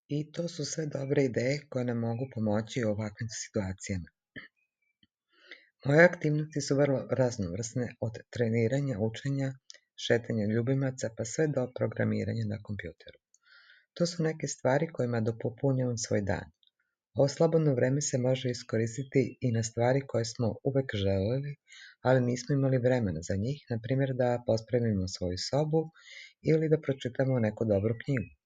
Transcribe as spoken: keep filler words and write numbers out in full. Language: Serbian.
I to su sve dobre ideje koje nam mogu pomoći u ovakvim situacijama. Moje aktivnosti su vrlo raznovrsne, od treniranja, učenja, šetanja ljubimaca pa sve do programiranja na kompjuteru. To su neke stvari kojima dopopunjavam svoj dan. Ovo slobodno vreme se može iskoristiti i na stvari koje smo uvek želeli, ali nismo imali vremena za njih, na primjer da pospremimo svoju sobu ili da pročitamo neku dobru knjigu.